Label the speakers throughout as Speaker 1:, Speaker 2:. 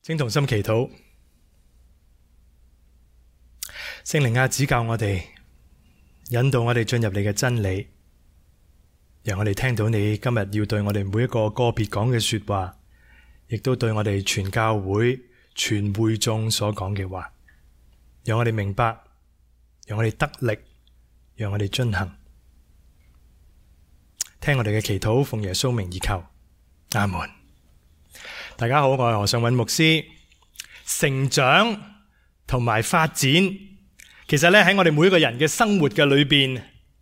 Speaker 1: 請同心祈禱。聖靈啊，指教我哋，引導我哋進入你嘅真理，讓我哋聽到你今日要對我哋每一個個別講嘅說話，亦都對我哋全教會、全會眾所講嘅話，讓我哋明白，讓我哋得力，讓我哋遵行。聽我哋嘅祈禱，奉耶穌名而求，阿門。大家好，我係何尚韻牧師。成長同埋發展，其實咧喺我哋每一個人嘅生活嘅裏邊，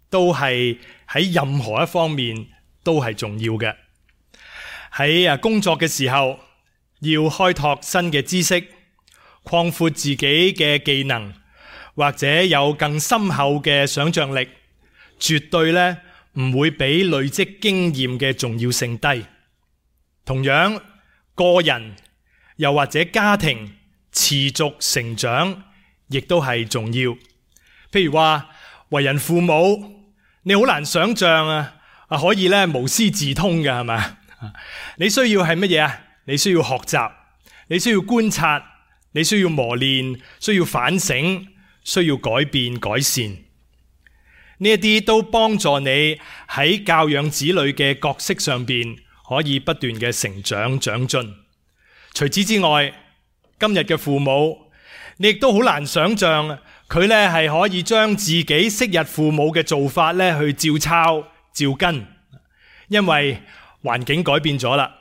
Speaker 1: 都係喺任何一方面都係重要嘅。喺工作嘅時候，要開拓新嘅知識，擴闊自己嘅技能，或者有更深厚嘅想象力，絕對咧唔會比累積經驗嘅重要性低。同樣，個人又或者家庭持續成長，亦都係重要。譬如話為人父母，你好難想象可以咧無師自通嘅，係咪？你需要係乜嘢啊？你需要學習，你需要觀察，你需要磨練，需要反省，需要改變改善。呢一啲都幫助你喺教養子女嘅角色上邊可以不斷嘅成長長進。除此之外，今日嘅父母，你亦都好難想象佢咧係可以將自己昔日父母嘅做法咧去照抄照跟，因為環境改變咗啦，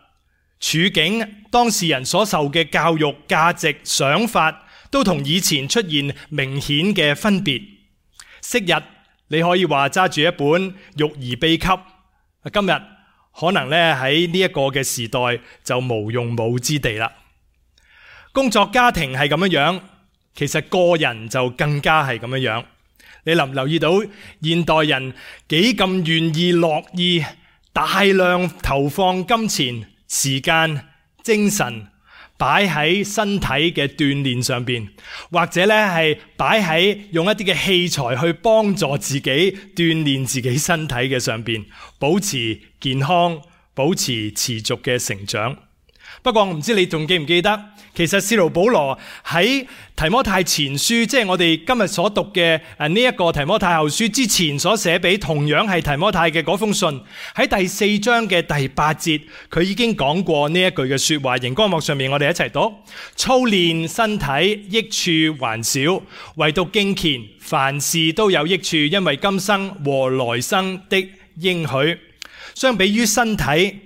Speaker 1: 處境當事人所受嘅教育價值想法都同以前出現明顯嘅分別。昔日你可以話揸住一本育兒秘笈，今日可能咧喺呢一個嘅時代就無用武之地啦。工作家庭係咁樣，其實個人就更加係咁樣。你留唔留意到現代人幾咁願意樂意大量投放金錢、時間、精神擺喺身體嘅鍛煉上邊，或者咧係擺喺用一啲嘅器材去幫助自己鍛煉自己身體嘅上邊，保持健康，保持持續嘅成長。不過我唔知你仲記唔記得，其實使徒保羅喺提摩太前書，即係我哋今日所讀嘅呢一個提摩太後書之前所寫俾同樣係提摩太嘅嗰封信，喺第4章嘅第8節，佢已經講過呢一句嘅說話。熒光幕上面我哋一齊讀：操練身體益處還少，唯獨敬虔凡事都有益處，因為今生和來生的應許。相比於身體，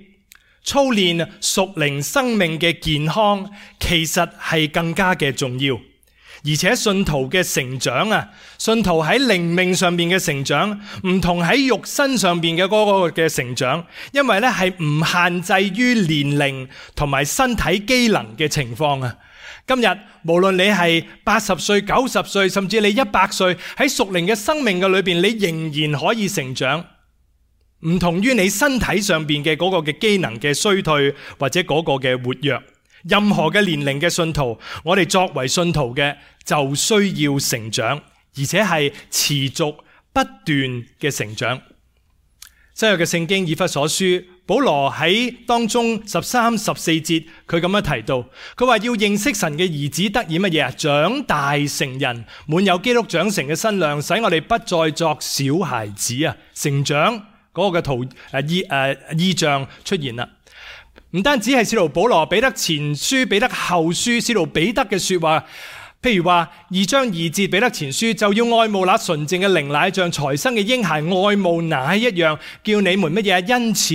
Speaker 1: 操練屬靈生命嘅健康，其實係更加嘅重要。而且信徒嘅成長信徒喺靈命上面嘅成長，唔同喺肉身上面嘅嗰個嘅成長，因為咧係唔限制於年齡同埋身體機能嘅情況。今日無論你係80歲、90歲，甚至你100歲，喺屬靈嘅生命嘅裏邊，你仍然可以成長。唔同於你身體上邊嘅嗰個嘅機能嘅衰退，或者嗰個嘅活躍。任何嘅年齡嘅信徒，我哋作為信徒嘅就需要成長，而且係持續不斷嘅成長。新約嘅聖經以弗所書，保羅喺當中13、14節，佢咁樣提到，佢話要認識神嘅兒子得以乜嘢啊？長大成人，滿有基督長成嘅身量，使我哋不再作小孩子啊！成長嗰個嘅意象出現啦。唔單止係使徒保羅、彼得前書、彼得後書、使徒彼得嘅說話，譬如話2章2節彼得前書，就要愛慕那純正嘅靈奶，像才生嘅嬰孩愛慕奶一樣，叫你們乜嘢？因此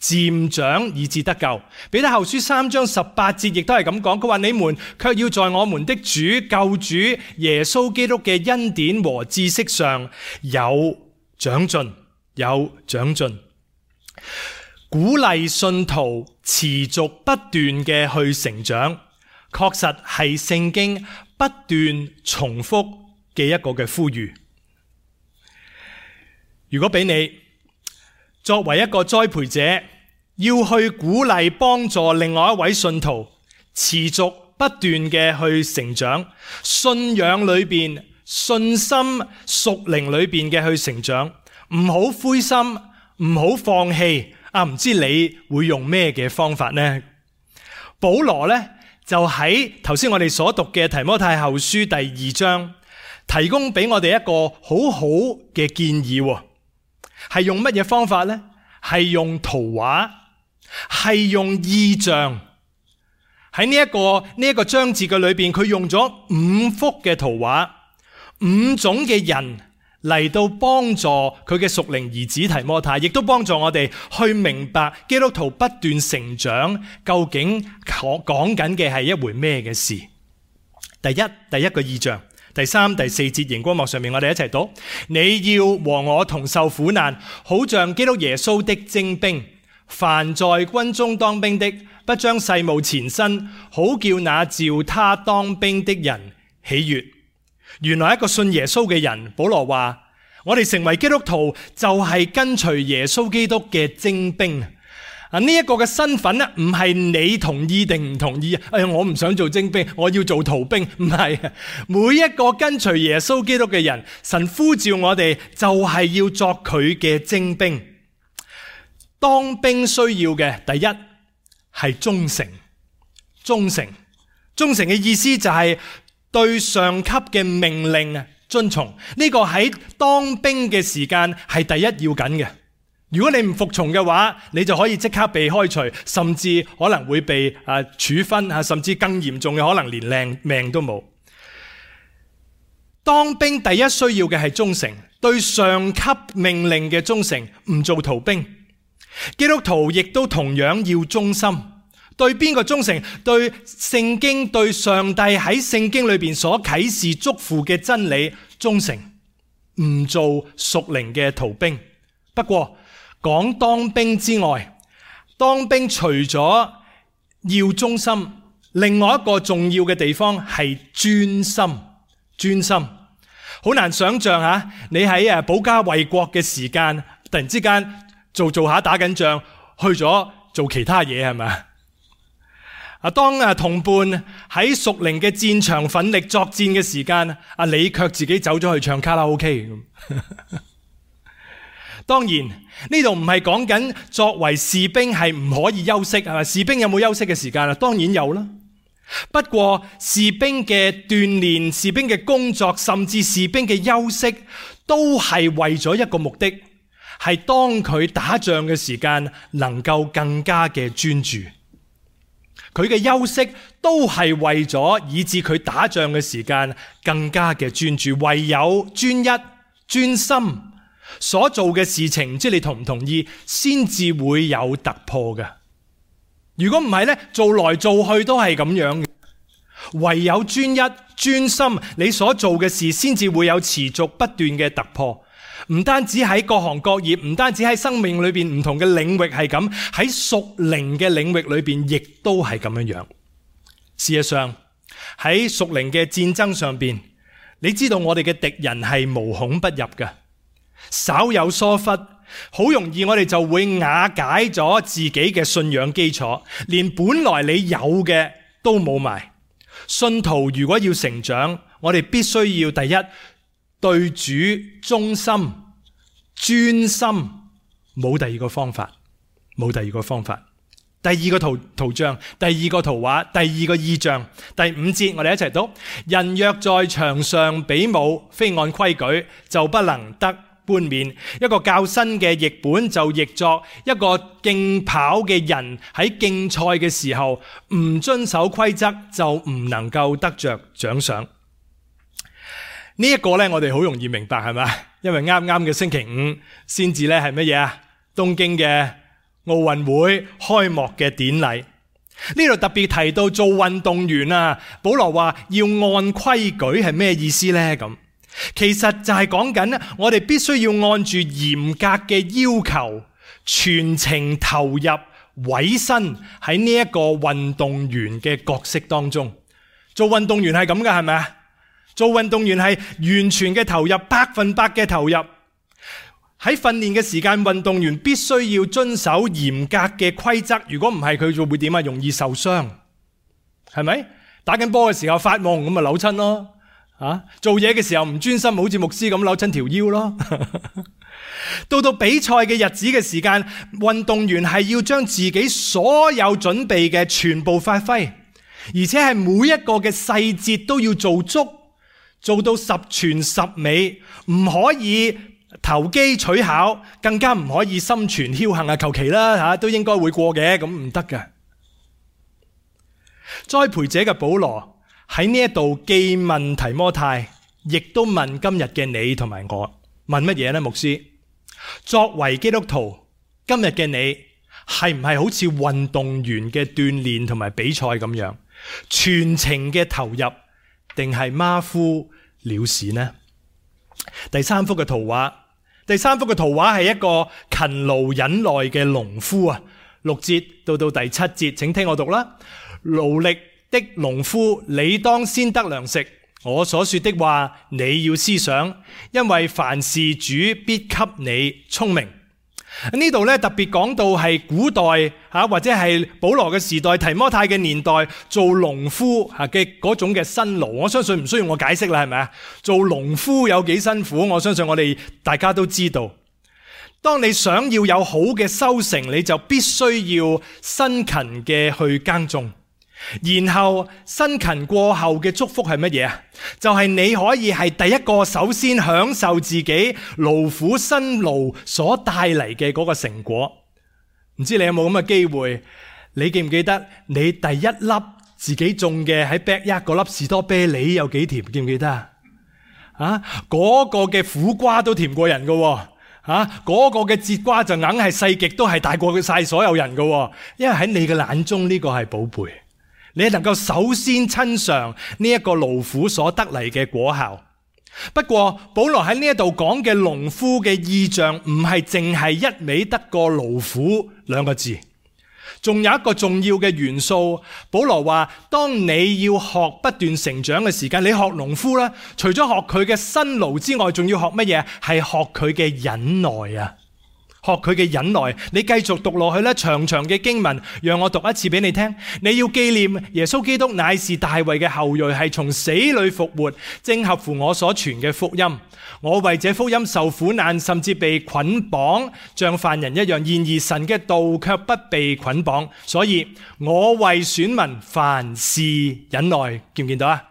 Speaker 1: 漸長以致得救。彼得後書3章18節亦都係咁講，佢話你們卻要在我們的主救主耶穌基督嘅恩典和知識上有長進，有長進。鼓勵信徒持續不斷嘅去成長，確實係聖經不斷重複嘅一個嘅呼籲。如果俾你作為一個栽培者，要去鼓勵幫助另外一位信徒持續不斷嘅去成長，信仰裏邊、信心屬靈裏邊嘅去成長，唔好灰心，唔好放棄。唔知你會用咩嘅方法呢？保羅呢，就喺頭先我哋所讀嘅提摩太後書第2章，提供俾我哋一個好好嘅建議，係用乜嘢方法呢？係用圖畫，係用意象。喺呢一個章節嘅裏邊，佢用咗5幅嘅圖畫，5種嘅人嚟到幫助佢嘅屬靈兒子提摩太，亦都幫助我哋去明白基督徒不斷成長究竟講緊嘅係一回咩嘅事。第一個意象，第3、第4節熒光幕上面我哋一齊讀：你要和我同受苦難，好像基督耶穌的精兵。凡在軍中當兵的，不將世務纏身，好叫那召他當兵的人喜悅。原來一個信耶穌嘅人，保羅話：我哋成為基督徒就係跟隨耶穌基督嘅精兵。呢一個嘅身份咧，唔係你同意定唔同意。我唔想做精兵，我要做逃兵。唔係，每一個跟隨耶穌基督嘅人，神呼召我哋就係要作佢嘅精兵。當兵需要嘅第一係忠誠。忠誠嘅意思就係對上級嘅命令遵從。呢個喺當兵嘅時間係第一要緊嘅。如果你唔服從嘅話，你就可以即刻被開除，甚至可能會被處分，甚至更嚴重嘅可能連命都冇。當兵第一需要嘅係忠誠，對上級命令嘅忠誠，唔做逃兵。基督徒亦都同樣要忠心。對邊個忠誠？對聖經，對上帝喺聖經裏邊所啟示囑咐嘅真理忠誠，唔做屬靈嘅逃兵。不過講當兵之外，當兵除咗要忠心，另外一個重要嘅地方係專心。好難想象吓，你喺保家衛國嘅時間，突然之間做下打緊仗，去咗做其他嘢，係咪？當同伴喺屬靈嘅戰場奮力作戰嘅時間，你卻自己走咗去唱卡拉 OK 咁。當然呢度唔係講緊作為士兵係唔可以休息，係咪？士兵有冇休息嘅時間啊？當然有啦。不過士兵嘅鍛煉、士兵嘅工作，甚至士兵嘅休息，都係為咗一個目的，係當佢打仗嘅時間能夠更加嘅專注。佢嘅休息都係為咗以致佢打仗嘅時間更加嘅專注。唯有專一、專心所做嘅事情，唔知你同唔同意，先至會有突破嘅。如果唔係呢，做來做去都係咁樣嘅。唯有專一、專心，你所做嘅事先至會有持續不斷嘅突破。唔單止喺各行各業，唔單止喺生命裏邊唔同嘅領域係咁，喺屬靈嘅領域裏邊亦都係咁樣樣。事實上喺屬靈嘅戰爭上邊，你知道我哋嘅敵人係無孔不入嘅，稍有疏忽，好容易我哋就會瓦解咗自己嘅信仰基礎，連本來你有嘅都冇埋。信徒如果要成長，我哋必須要第一，對主忠心、專心，冇第二個方法。第二個圖像，第二個圖畫，第二個意象，第5節我哋一齊讀：人若在場上比武，非按規矩，就不能得冠冕。一個較新嘅譯本就譯作：一個競跑嘅人喺競賽嘅時候唔遵守規則，就唔能夠得着獎賞。呢一個呢，我哋好容易明白，係咪？因為啱啱嘅星期5先至呢係乜嘢啊？東京嘅奧運會開幕嘅典禮。呢度特別提到做運動員啊，保羅話要按規矩係咩意思呢？咁其實就係講緊我哋必須要按住嚴格嘅要求，全程投入委身喺呢一個運動員嘅角色當中。做運動員係咁噶，係咪啊？做運動員係完全嘅投入，100%嘅投入。喺訓練嘅時間，運動員必須要遵守嚴格嘅規則。如果唔係，佢就會點啊？容易受傷，係咪？打緊波嘅時候發夢咁咪扭親咯。做嘢嘅時候唔專心，好似牧師咁扭親條腰咯。到比賽嘅日子嘅時間，運動員係要將自己所有準備嘅全部發揮。而且係每一個嘅細節都要做足，做到十全十美，唔可以投機取巧，更加唔可以心存僥倖求其啦都應該會過嘅，咁唔得㗎。栽培者嘅保羅喺呢一度既問提摩太，亦都問今日嘅你同埋我，問乜嘢呢？牧師，作為基督徒，今日嘅你係唔係好似運動員嘅鍛煉同埋比賽咁樣，全程嘅投入，定係馬虎了事呢？第三幅嘅圖畫係一個勤勞忍耐嘅農夫啊，6節到第7節，請聽我讀啦。勞力的農夫，你當先得糧食。我所說的話，你要思想，因為凡事主必給你聰明。呢度咧特別講到係古代或者係保羅嘅時代，提摩太嘅年代做農夫嘅嗰種嘅辛勞，我相信唔需要我解釋啦，係咪啊？做農夫有幾辛苦，我相信我哋大家都知道。當你想要有好嘅收成，你就必須要辛勤嘅去耕種。然後辛勤過後嘅祝福係乜嘢啊？就係你可以係第一個首先享受自己勞苦辛勞所帶嚟嘅嗰個成果。唔知你有冇咁嘅機會？你記唔記得你第一粒自己種嘅喺 backyard 嗰粒士多啤梨有幾甜？記唔記得啊？嗰個嘅苦瓜都甜過人噶嗰個嘅節瓜就硬係細極都係大過晒所有人噶因為喺你嘅眼中呢個係寶貝。你能夠首先親嘗呢一個勞苦所得嚟嘅果效。不過保羅喺呢一度講嘅農夫嘅意象唔係淨係一味得個勞苦兩個字，仲有一個重要嘅元素。保羅話當你要學不斷成長嘅時間，你學農夫啦，除咗學佢嘅辛勞之外，仲要學乜嘢？係學佢嘅忍耐啊！學佢嘅忍耐，你繼續讀落去咧，長長嘅經文，讓我讀一次俾你聽。你要紀念耶穌基督乃是大衛嘅後裔，係從死裏復活，正合乎我所傳嘅福音。我為這福音受苦難，甚至被捆綁，像犯人一樣。然而神嘅道卻不被捆綁，所以我為選民凡事忍耐。見唔見到啊？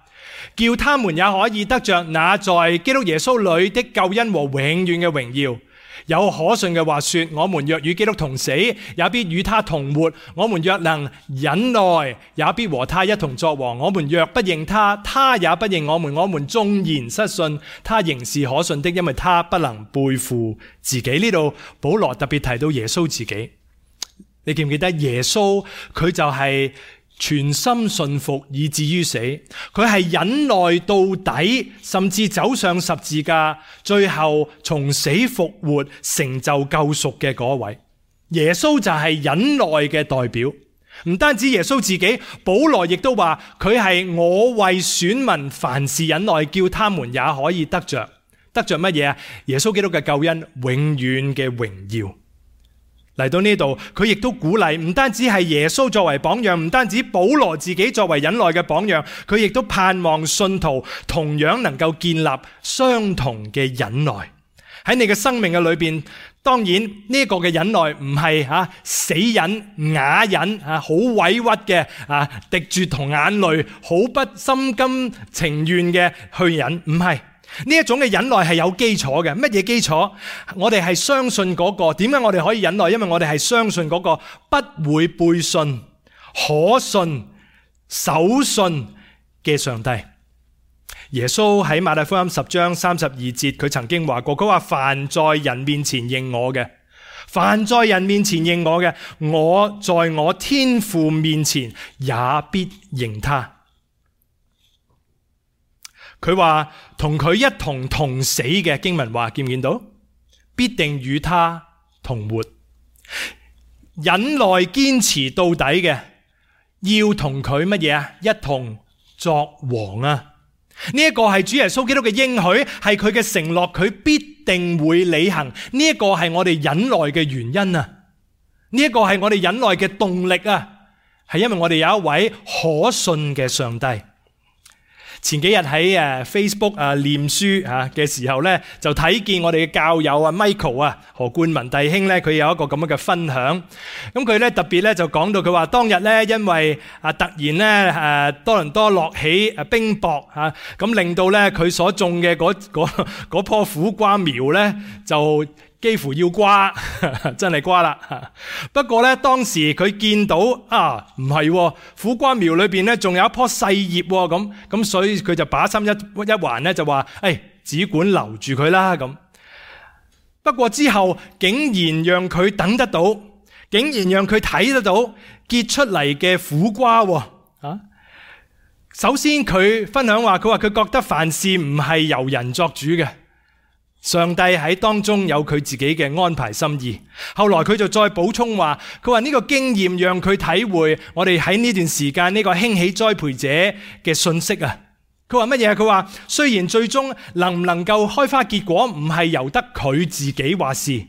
Speaker 1: 叫他們也可以得着那在基督耶穌裏的救恩和永遠嘅榮耀。有可信嘅話說，我們若與基督同死，也必與他同活；我們若能忍耐，也必和他一同作王。我們若不認他，他也不認我們。我們縱然失信，他仍是可信的，因為他不能背負自己。呢度保羅特別提到耶穌自己，你記唔記得耶穌佢就係全心信服以至於死，佢係忍耐到底，甚至走上十字架，最後從死復活，成就救贖嘅嗰位。耶穌就係忍耐嘅代表。唔單止耶穌自己，保羅亦都話佢係我為選民凡事忍耐，叫他們也可以得着乜嘢啊？耶穌基督嘅救恩永遠嘅榮耀。嚟到呢度，佢亦都鼓勵，唔單止係耶穌作為榜樣，唔單止保羅自己作為忍耐嘅榜樣，佢亦都盼望信徒同樣能夠建立相同嘅忍耐。喺你嘅生命嘅裏邊，當然呢個嘅忍耐唔係死忍、啞忍好委屈嘅滴住同眼淚，好不心甘情願嘅去忍，唔係。呢一種嘅忍耐係有基礎嘅。乜嘢基礎？我哋係相信嗰個。點解我哋可以忍耐？因為我哋係相信嗰個不會背信、可信、守信嘅上帝。耶穌喺馬太福音10章32節，佢曾經話過，佢話凡在人面前認我嘅，凡在人面前認我嘅，我在我天父面前也必認他。佢話同佢一同死嘅，經文話，見唔見到？必定與他同活。忍耐堅持到底嘅，要同佢乜嘢啊？一同作王啊！呢一個係主耶穌基督嘅應許，係佢嘅承諾，佢必定會履行。呢一個係我哋忍耐嘅原因啊！呢一個係我哋忍耐嘅動力啊！係因為我哋有一位可信嘅上帝。前幾日喺Facebook 念書嘅時候咧，就睇見我哋嘅教友Michael 何冠文弟兄咧，佢有一個咁樣嘅分享。咁佢咧特別咧就講到佢話當日咧，因為突然咧多倫多落起冰雹咁令到咧佢所種嘅嗰棵苦瓜苗咧就幾乎要瓜，真係瓜啦。不過咧，當時佢見到唔係苦瓜苗裏邊咧，仲有一棵細葉咁，所以佢就把心一橫咧，就話：只管留住佢啦咁。不過之後竟然讓佢等得到，竟然讓佢睇得到結出嚟嘅苦瓜。首先佢分享話，佢覺得凡事唔係由人作主嘅。上帝喺當中有佢自己嘅安排心意。後來佢就再補充話，佢話呢個經驗讓佢體會我哋喺呢段時間呢個興起栽培者嘅信息啊。佢話乜嘢？佢話雖然最終能唔能夠開花結果唔係由得佢自己話事，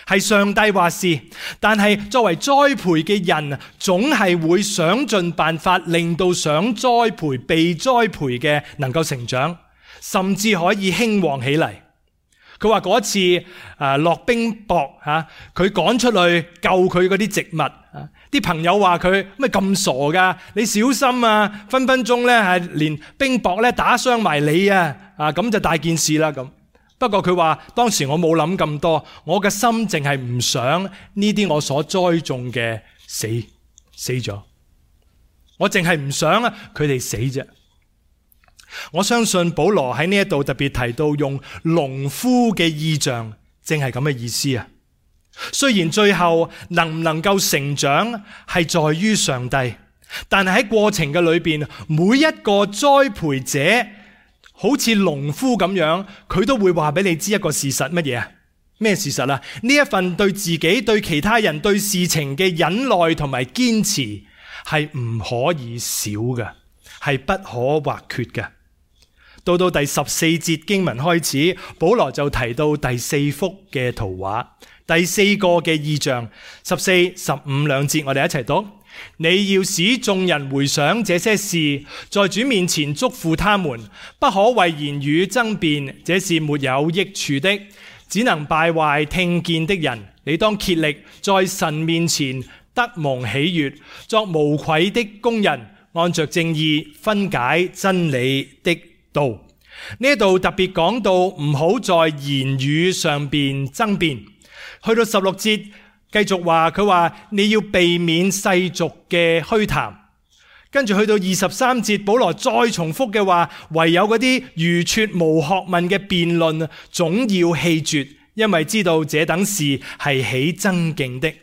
Speaker 1: 係上帝話事，但係作為栽培嘅人，總係會想盡辦法令到想栽培被栽培嘅能夠成長，甚至可以興旺起嚟。佢話嗰次落冰雹佢趕出去救佢嗰啲植物，啲朋友話佢咩咁傻㗎？你小心啊！分分鐘咧係連冰雹咧打傷埋你咁就大件事啦咁。不過佢話當時我冇諗咁多，我嘅心淨係唔想呢啲我所栽種嘅死咗，我淨係唔想佢哋死啫。我相信保羅喺呢一度特別提到用農夫嘅意象，正係咁嘅意思啊。雖然最後能唔能夠成長係在於上帝，但係喺過程嘅裏邊，每一個栽培者好似農夫咁樣，佢都會話俾你知一個事實。乜嘢啊？咩事實啊？呢一份對自己、對其他人、對事情嘅忍耐同埋堅持係唔可以少嘅，係不可或缺嘅。到第14節經文開始，保羅就提到第4幅嘅圖畫，第4個嘅異象。14、15兩節我哋一齊讀。你要使眾人回想這些事，在主面前囑咐他們，不可為言語爭辯，這是沒有益處的，只能敗壞聽見的人。你當竭力在神面前得蒙喜悅，作無愧的工人，按着正義分解真理的道。呢度特別講到唔好在言語上邊爭辯。去到16節繼續話，佢話你要避免世俗嘅虛談。跟住去到23節，保羅再重複嘅話，唯有嗰啲愚拙無學問嘅辯論總要棄絕，因為知道這等事係起爭競的。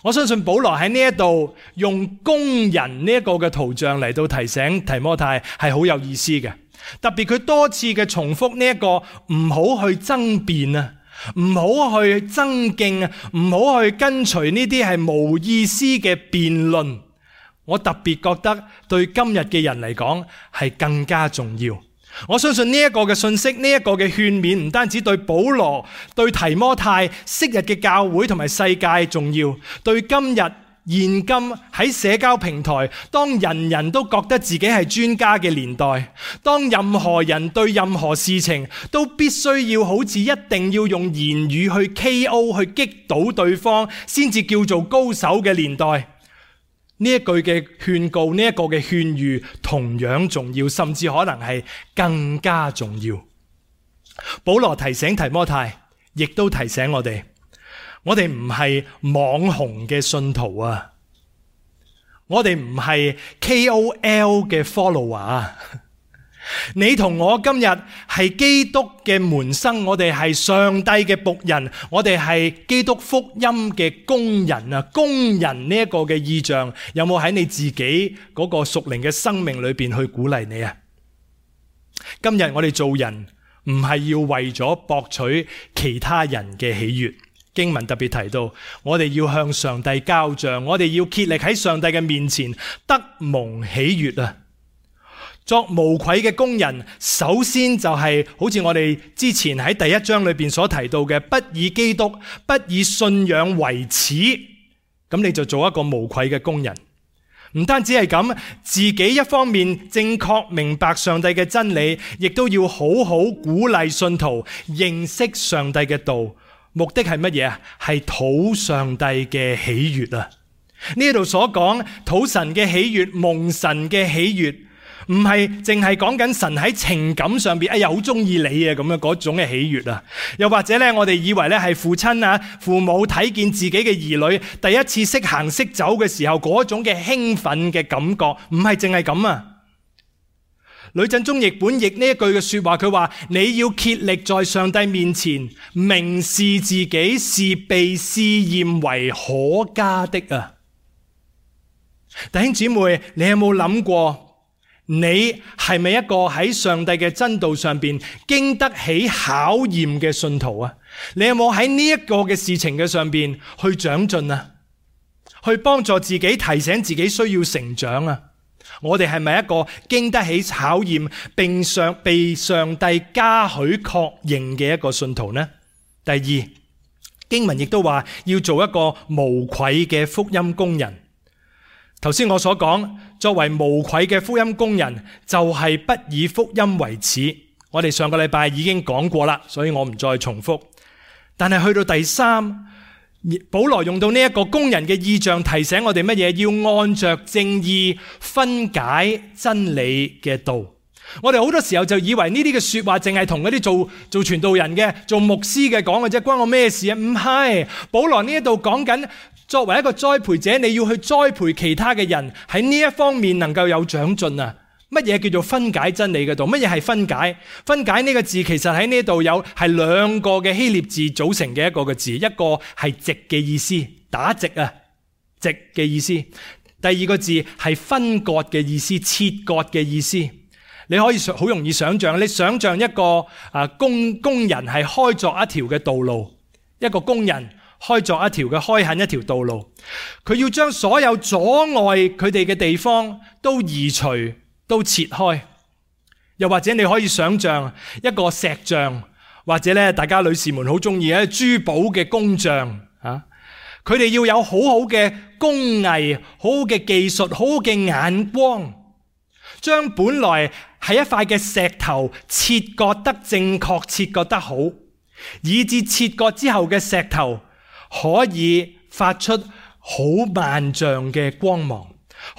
Speaker 1: 我相信保羅喺呢一度用工人呢一個嘅圖像嚟到提醒提摩太係好有意思嘅。特別佢多次嘅重複呢一個唔好去爭辯唔好去爭競唔好去跟隨呢啲係無意思嘅辯論。我特別覺得對今日嘅人嚟講係更加重要。我相信呢一個嘅信息，呢一個嘅勸勉，唔單止對保羅、對提摩太昔日嘅教會同埋世界重要，對今日現今喺社交平台，當人人都覺得自己係專家嘅年代，當任何人對任何事情都必須要好似一定要用言語去 KO 去擊倒對方先至叫做高手嘅年代，呢一句嘅勸告，呢一個嘅勸喻同樣重要，甚至可能係更加重要。保羅提醒提摩太，亦都提醒我哋唔係網紅嘅信徒啊，我哋唔係 KOL 嘅 follower。你同我今日係基督嘅門生，我哋係上帝嘅僕人，我哋係基督福音嘅工人啊！工人呢一個嘅意象，有冇喺你自己嗰個屬靈嘅生命裏邊去鼓勵你啊？今日我哋做人唔係要為咗博取其他人嘅喜悅。經文特別提到，我哋要向上帝交賬，我哋要竭力喺上帝嘅面前得蒙喜悅啊！作無愧嘅工人，首先就係好似我哋之前喺第1章裏邊所提到嘅，不以基督、不以信仰為恥，咁你就做一個無愧嘅工人。唔單止係咁，自己一方面正確明白上帝嘅真理，亦都要好好鼓勵信徒認識上帝嘅道。目的係乜嘢啊？係討上帝嘅喜悅啊！呢度所講討神嘅喜悅、蒙神嘅喜悅，唔係淨係講緊神喺情感上邊，哎呀好中意你啊咁樣嗰種嘅喜悅啊！又或者咧，我哋以為咧係父親啊、父母睇見自己嘅兒女第一次識行識走嘅時候嗰種嘅興奮嘅感覺，唔係淨係咁啊！呂振中譯本譯呢一句嘅說話，佢話你要竭力在上帝面前明示自己是被試驗為可嘉的啊！弟兄姊妹，你有冇諗過，你係咪一個喺上帝嘅真道上邊經得起考驗嘅信徒啊？你有冇喺呢一個嘅事情嘅上邊去長進啊？去幫助自己，提醒自己需要成長啊？我哋係咪一個經得起考驗並被上帝嘉許確認嘅一個信徒呢？第二，經文亦都話要做一個無愧嘅福音工人。頭先我所講，作為無愧嘅福音工人，就係不以福音為恥。我哋上個禮拜已經講過啦，所以我唔再重複。但係去到第三，保羅用到呢一個工人嘅意象，提醒我哋乜嘢？要按着正義分解真理嘅道。我哋好多時候就以為呢啲嘅說話淨係同嗰啲做傳道人嘅、做牧師嘅講嘅啫，關我咩事啊？唔係，保羅呢一度講緊，作為一個栽培者，你要去栽培其他嘅人喺呢一方面能夠有長進啊！乜嘢叫做分解真理嘅道？乜嘢係分解？分解呢個字其實喺呢度係兩個嘅希臘字組成嘅一個嘅字，一個係直嘅意思，打直啊，直嘅意思；第二個字係分割嘅意思，切割嘅意思。你可以好容易想象，你想象一個工人係開鑿一條嘅道路，一個工人開鑿一條嘅開墾一條道路，佢要將所有阻礙佢哋嘅地方都移除，都切開。又或者你可以想象一個石匠，或者咧大家女士們好中意嘅珠寶嘅工匠啊，佢哋要有好好嘅工藝、好好嘅技術、好好嘅眼光，將本來係一塊嘅石頭切割得正確，切割得好，以至切割之後嘅石頭可以發出好萬丈嘅光芒，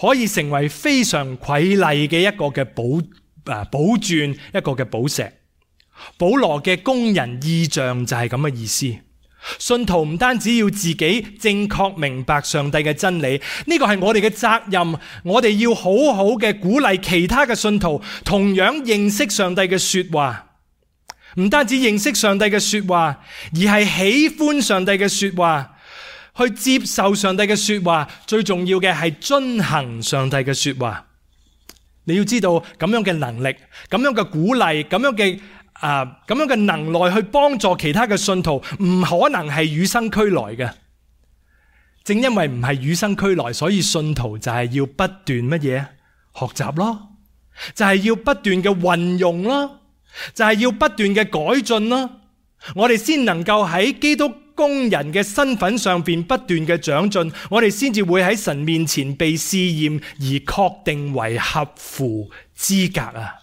Speaker 1: 可以成為非常瑰麗嘅一個嘅寶鑽，一個嘅寶石。保羅嘅工人意象就係咁嘅意思。信徒唔單止要自己正確明白上帝嘅真理，呢個係我哋嘅責任，我哋要好好嘅鼓勵其他嘅信徒同樣認識上帝嘅說話。唔單止認識上帝嘅說話，而係喜歡上帝嘅說話，去接受上帝嘅說話。最重要嘅係遵行上帝嘅說話。你要知道咁樣嘅能力，咁樣嘅鼓勵，咁樣嘅能耐去幫助其他嘅信徒，唔可能係與生俱來嘅。正因為唔係與生俱來，所以信徒就係要不斷乜嘢？學習咯，就係要不斷嘅運用咯，就係要不斷嘅改進咯。我哋先能夠喺基督工人嘅身份上邊不斷嘅長進，我哋先至會喺神面前被試驗而確定為合乎資格啊！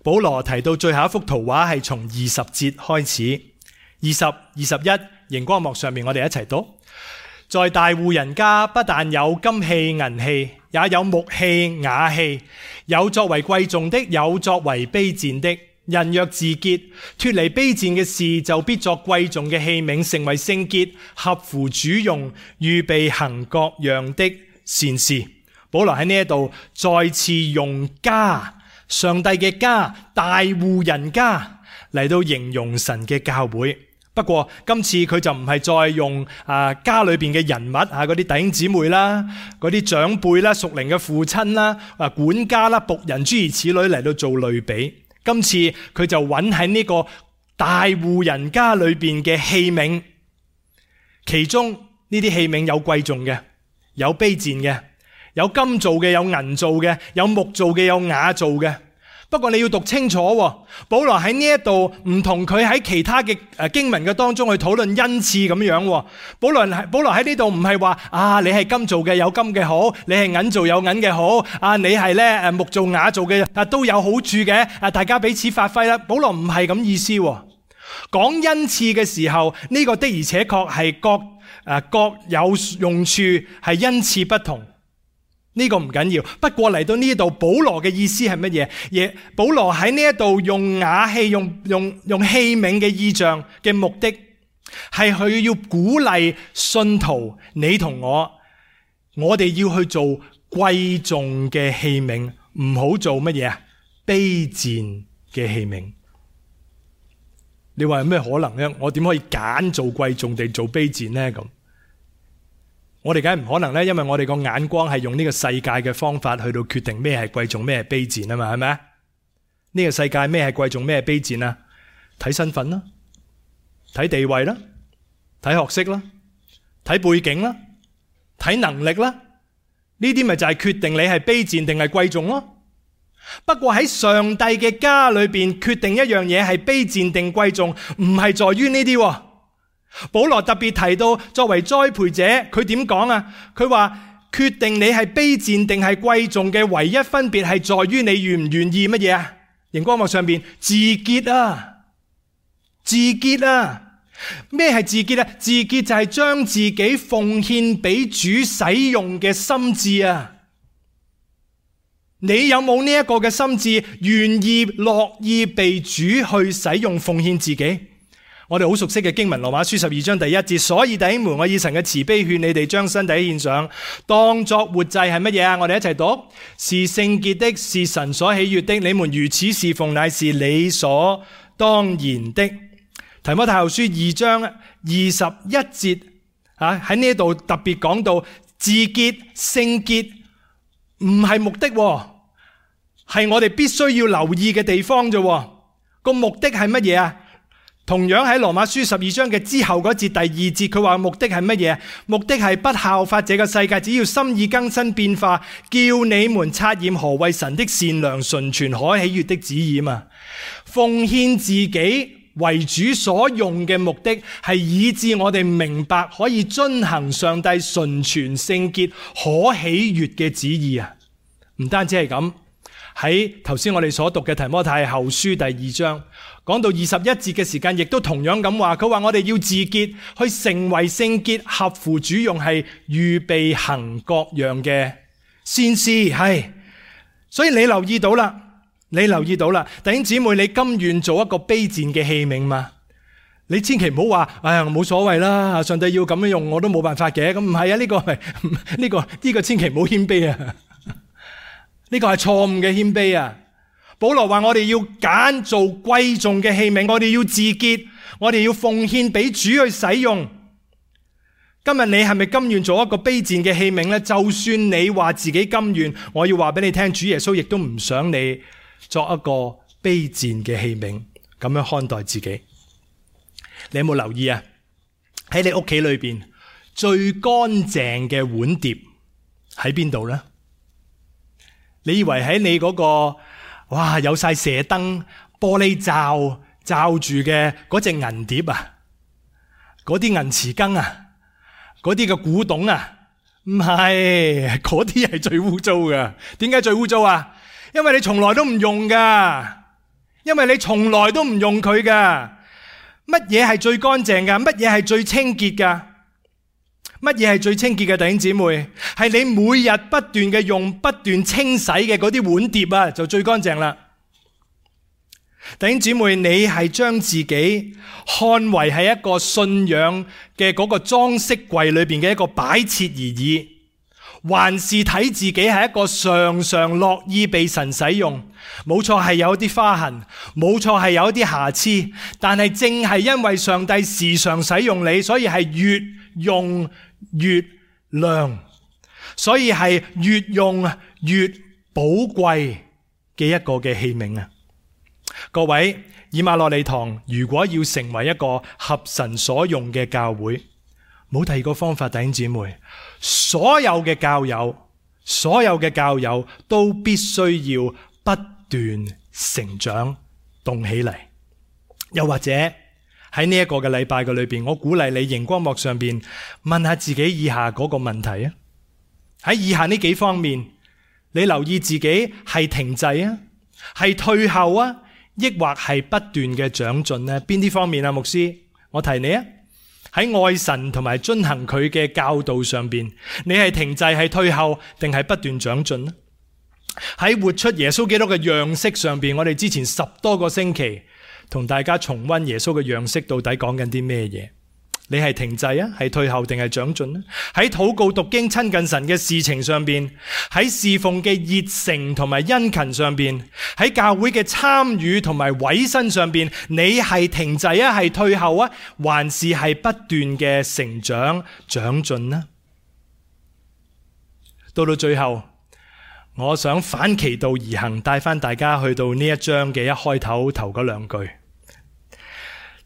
Speaker 1: 保羅提到最後一幅圖畫係從20節開始，20、21，熒光幕上面我哋一齊讀。在大戶人家不但有金器銀器，也有木器瓦器，有作為貴重的，有作為卑賤的。人若自潔，脫離卑賤嘅事，就必作貴重嘅器皿，成為聖潔，合乎主用，預備行各樣的善事。保羅喺呢一度再次用家，上帝嘅家，大戶人家嚟到形容神嘅教會。不過今次佢就唔係再用家裏邊嘅人物嗰啲弟兄姊妹啦，嗰啲長輩啦，屬靈嘅父親啦，管家啦，僕人諸如此類嚟到做類比。今次佢就揾喺呢個大戶人家裏邊嘅器皿，其中呢啲器皿有貴重嘅，有卑賤嘅，有金做嘅，有銀做嘅，有木做嘅，有瓦做嘅。不過你要讀清楚喎，保羅喺呢一度唔同佢喺其他嘅經文嘅當中去討論恩賜咁樣喎。保羅喺呢度唔係話你係金做嘅有金嘅好，你係銀做有銀嘅好，你係咧木做瓦做嘅都有好處嘅，大家彼此發揮啦。保羅唔係咁意思喎。講恩賜嘅時候，呢個的而且確係各有用處，係恩賜不同。呢個唔緊要，不過嚟到呢度，保羅嘅意思係乜嘢？保羅喺呢一度用瓦器、用器皿嘅意象嘅目的，係佢要鼓勵信徒，你同我哋要去做貴重嘅器皿，唔好做乜嘢卑賤嘅器皿。你話有咩可能呢？我點可以揀做貴重定做卑賤呢？咁我哋梗係唔可能咧，因為我哋個眼光係用呢個世界嘅方法去到決定咩係貴重，咩係卑賤啊嘛，係咪？呢個世界咩係貴重，咩係卑賤啊？睇身份啦，睇地位啦，睇學識啦，睇背景啦，睇能力啦，呢啲咪就係決定你係卑賤定係貴重咯。不過喺上帝嘅家裏邊，決定一樣嘢係卑賤定貴重，唔係在於呢啲。保羅特別提到，作為栽培者，佢點講啊？佢話決定你係卑賤定係貴重嘅唯一分別係在於你願唔願意乜嘢啊？熒光幕上邊自潔啊，自潔啊！咩係自潔啊？自潔就係將自己奉獻俾主使用嘅心志啊！你有冇呢一個嘅心志，願意樂意被主去使用奉獻自己？我哋好熟悉嘅經文，羅馬書12章第1節，所以弟兄們，我以神嘅慈悲勸你哋將身體獻上，當作活祭係乜嘢啊？我哋一齊讀，是聖潔的，是神所喜悅的。你們如此侍奉，乃是理所當然的。提摩太後書2章21節喺呢度特別講到自潔聖潔唔係目的，係我哋必須要留意嘅地方啫。個目的係乜嘢啊？同樣喺羅馬書12章嘅之後嗰節第2節，佢話目的係乜嘢？目的係不效法這個世界，只要心意更新變化，叫你們察驗何為神的善良、純全、可喜悅的旨意嘛。奉獻自己為主所用嘅目的，係以致我哋明白可以遵行上帝純全、聖潔、可喜悅嘅旨意啊！唔單止係咁，喺頭先我哋所讀嘅提摩太後書第2章。講到21節嘅時間，亦都同樣咁話，佢話我哋要自潔，去成為聖潔，合乎主用，係預備行各樣嘅善事。係，所以你留意到啦，弟兄姊妹，你甘願做一個卑賤嘅器皿嘛？你千祈唔好話，哎呀，冇所謂啦，上帝要咁樣用，我都冇辦法嘅。咁唔係啊，呢個千祈唔好謙卑啊，呢個係錯誤嘅謙卑啊。保羅話我哋要揀做貴重嘅器皿，我哋要自潔，我哋要奉獻俾主去使用。今日你係咪甘願做一個卑賤嘅器皿呢？就算你話自己甘願，我要話俾你聽，主耶穌亦都唔想你作一個卑賤嘅器皿，咁樣看待自己。你有冇留意啊？喺你屋企裏邊最乾淨嘅碗碟喺邊度呢？你以為喺你嗰個哇，有晒射燈、玻璃罩住嘅嗰隻銀碟啊，嗰啲銀匙羹啊，嗰啲嘅古董啊，唔係，嗰啲係最污糟噶。點解最污糟啊？因為你從來都唔用噶，因為你從來都唔用佢噶。乜嘢係最乾淨噶？乜嘢係最清潔噶？乜嘢係最清潔嘅？弟兄姊妹，係你每日不斷嘅用、不斷清洗嘅嗰啲碗碟啊，就最乾淨啦。弟兄姊妹，你係將自己看為係一個信仰嘅嗰個裝飾櫃裏邊嘅一個擺設而已，還是睇自己係一個常常樂意被神使用？冇錯，係有啲花痕，冇錯，係有啲瑕疵，但係正係因為上帝時常使用你，所以係越用越亮，所以係越用越寶貴嘅一個嘅器皿啊！各位，以馬內利堂如果要成為一個合神所用嘅教會，冇第二個方法，弟兄姊妹，所有嘅教友都必須要不斷成長動起嚟。又或者喺呢一個嘅禮拜嘅裏邊，我鼓勵你熒光幕上邊問下自己以下嗰個問題啊。喺以下呢幾方面，你留意自己係停滯啊，係退後啊，抑或係不斷嘅長進呢？邊啲方面啊？牧師，我提你啊。喺愛神同埋遵行佢嘅教導上邊，你係停滯係退後定係不斷長進呢？喺活出耶穌基督嘅樣式上邊，我哋之前10多個星期同大家重溫耶穌嘅樣式到底講緊啲咩嘢？你係停滯啊，係退後定係長進呢？喺禱告讀經親近神嘅事情上邊，喺侍奉嘅熱誠同埋殷勤上邊，喺教會嘅參與同埋委身上邊，你係停滯啊，係退後啊，還是係不斷嘅成長長進呢？到最後，我想反其道而行，帶翻大家去到呢一章嘅一開頭嗰兩句，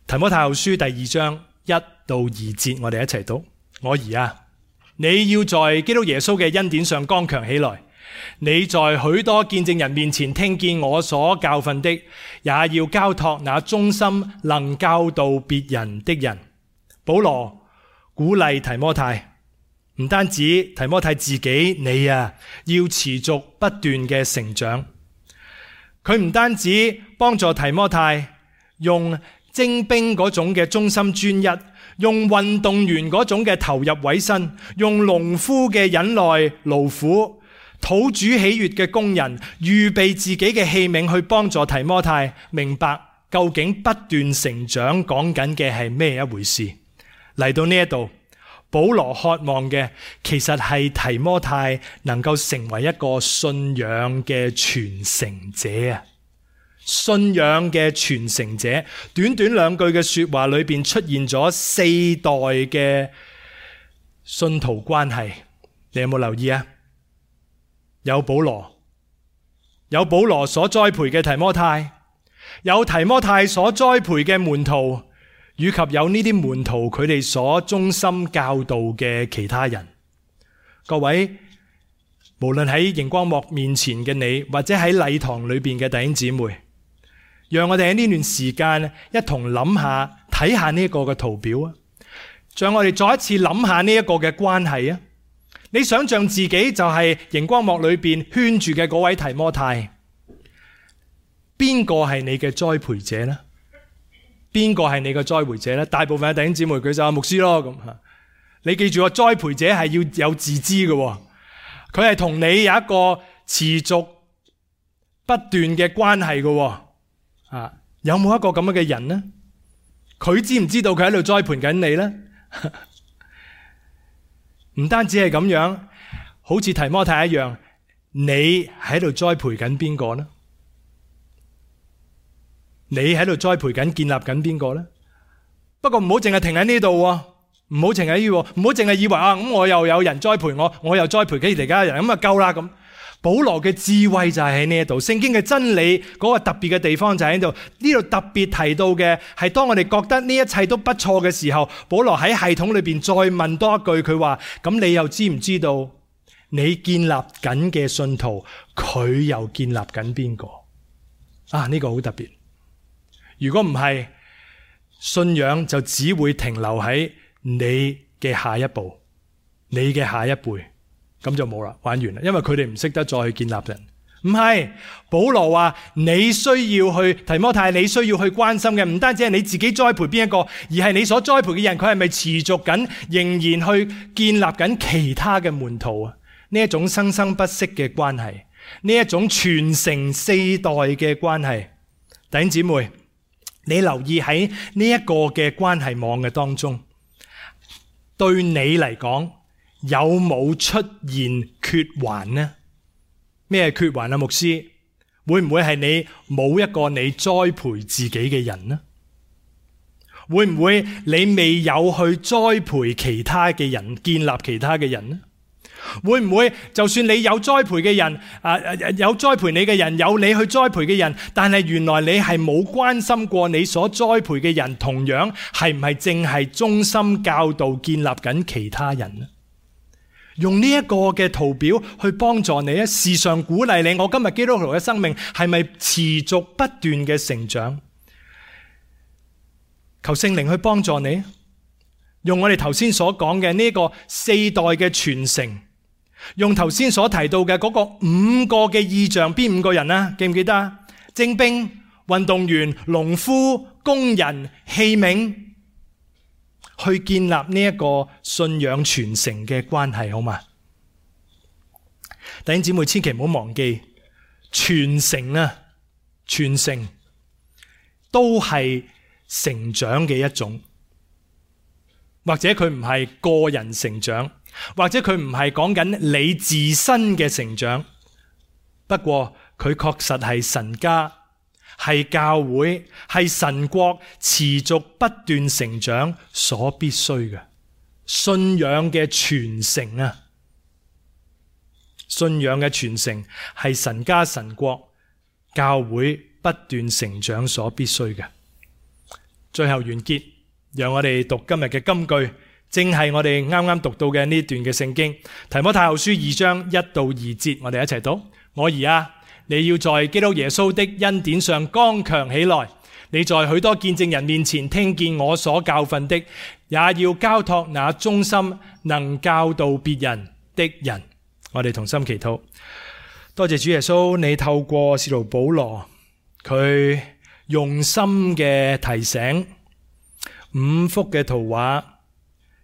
Speaker 1: 提摩太後書第2章1到2節，我哋一齊讀。我兒啊，你要在基督耶穌嘅恩典上剛強起來。你在許多見證人面前聽見我所教訓的，也要交託那忠心能教導別人的人。保羅鼓勵提摩太，唔單止提摩太自己，你啊要持續不斷嘅成長。佢唔單止幫助提摩太用精兵嗰種嘅忠心專一，用運動員嗰種嘅投入委身，用農夫嘅忍耐勞苦，討主喜悅嘅工人，預備自己嘅器皿去幫助提摩太明白究竟不斷成長講緊嘅係咩一回事。嚟到呢一度，保羅渴望嘅其實係提摩太能夠成為一個信仰嘅傳承者啊！信仰嘅傳承者，短短2句嘅說話裏邊出現咗4代嘅信徒關係，你有冇留意啊？有保羅所栽培嘅提摩太，有提摩太所栽培嘅門徒，以及有呢啲門徒佢哋所忠心教導嘅其他人。各位，無論喺熒光幕面前嘅你，或者喺禮堂裏邊嘅弟兄姊妹，讓我哋喺呢段時間一同諗下，睇下呢一個嘅圖表啊，讓我哋再一次諗下呢一個嘅關係啊。你想象自己就係熒光幕裏邊圈住嘅嗰位提摩太，邊個係你嘅栽培者呢？邊個係你嘅栽培者呢？大部分嘅弟兄姊妹舉手，牧師咯咁。你記住，栽培者係要有自知嘅，佢係同你有一個持續不斷嘅關係嘅。有冇一個咁樣嘅人呢？佢知唔知道佢喺度栽培緊你呢？唔單止係咁樣，好似提摩太一樣，你喺度栽培緊邊個呢？你喺度栽培緊、建立緊邊個呢？不過唔好淨係停喺呢度，唔好淨係以為咁我又有人栽培我，我又栽培其他人，咁啊夠啦咁。保羅嘅智慧就係喺呢一度，聖經嘅真理嗰個特別嘅地方就喺度。呢度特別提到嘅係，當我哋覺得呢一切都不錯嘅時候，保羅喺系統裏邊再問多一句，佢話：咁你又知唔知道你建立緊嘅信徒，佢又建立緊邊個？呢個好特別。如果唔係，信仰就只會停留喺你嘅下一步，你嘅下一輩。咁就冇啦，玩完啦，因為佢哋唔識得再去建立人。唔係，保羅話你需要去，提摩太，你需要去關心嘅唔單止係你自己栽培邊一個，而係你所栽培嘅人，佢係咪持續緊，仍然去建立緊其他嘅門徒啊？呢一種生生不息嘅關係，呢一種傳承4代嘅關係。弟兄姊妹，你留意喺呢一個嘅關係網嘅當中，對你嚟講，有冇出現缺環呢？咩缺環啊？牧師，會唔會係你冇一個你栽培自己嘅人呢？會唔會你未有去栽培其他嘅人，建立其他嘅人呢？會唔會就算你有栽培嘅人，有栽培你嘅人，有你去栽培嘅人，但係原來你係冇關心過你所栽培嘅人，同樣係唔係淨係忠心教導建立緊其他人呢？用呢一個嘅圖表去幫助你，時常鼓勵你。我今日基督徒嘅生命係咪持續不斷嘅成長？求聖靈去幫助你，用我哋頭先所講嘅呢個4代嘅傳承，用頭先所提到嘅嗰個5個嘅異象，邊5個人啊？記唔記得啊？精兵、運動員、農夫、工人、器皿，去建立呢一個信仰傳承嘅關係，好嘛？弟兄姊妹，千祈唔好忘記傳承啊！傳承都係成長嘅一種，或者佢唔係個人成長，或者佢唔係講緊你自身嘅成長，不過佢確實係神家、係教會、係神國持續不斷成長所必須嘅信仰嘅傳承啊！信仰嘅傳承係神家、神國、教會不斷成長所必須嘅。最後完結，讓我哋讀今日嘅金句，正係我哋啱啱讀到嘅呢段嘅聖經，提摩太後書2章1到2節，我哋一齊讀。我兒啊，你要在基督耶穌的恩典上剛強起來。你在許多見證人面前聽見我所教訓的，也要交託那忠心能教導別人的人。我哋同心祈禱。多謝主耶穌，你透過使徒保羅，佢用心嘅提醒，5幅嘅圖畫，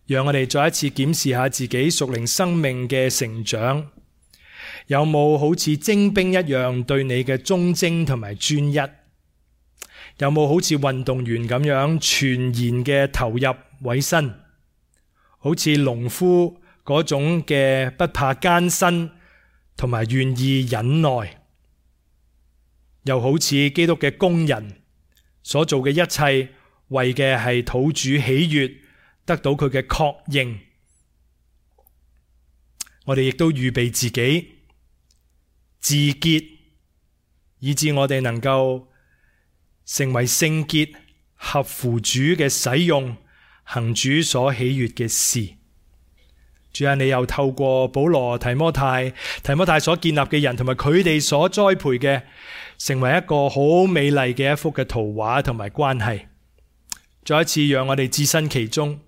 Speaker 1: 讓我哋再一次檢視下自己屬靈生命嘅成長，有冇好似精兵一樣對你嘅忠貞同埋專一？有冇好似運動員咁樣全然嘅投入委身？好似農夫嗰種嘅不怕艱辛同埋願意忍耐？又好似基督嘅工人所做嘅一切，為嘅係討主喜悅，得到佢嘅確認。我哋亦都預備自己自潔，以致我哋能夠成為聖潔，合乎主嘅使用，行主所喜悅嘅事。主啊，你又透過保羅、提摩太所建立嘅人，同埋佢哋所栽培嘅，成為一個好美麗嘅一幅嘅圖畫同埋關係。再一次讓我哋置身其中，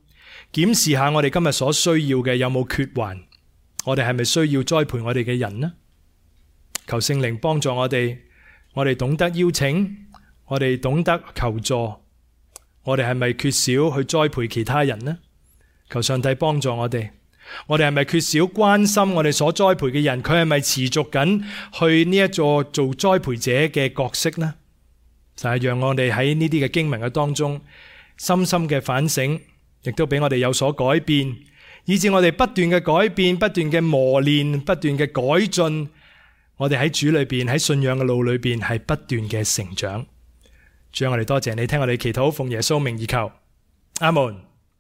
Speaker 1: 檢視下我哋今日所需要嘅有冇缺環，我哋係咪需要栽培我哋嘅人呢？求聖靈幫助我哋懂得邀請，我哋懂得求助，我哋係咪缺少去栽培其他人呢？求上帝幫助我哋係咪缺少關心我哋所栽培嘅人？佢係咪持續緊去呢一座做栽培者嘅角色呢？就係讓我哋喺呢啲嘅經文嘅當中深深嘅反省，亦都俾我哋有所改變，以致我哋不斷嘅改變，不斷嘅磨練，不斷嘅改進，我哋喺主裏邊，喺信仰嘅路裏邊係不斷嘅成長。主啊，我哋多謝你聽我哋祈禱，奉耶穌名而求，阿門。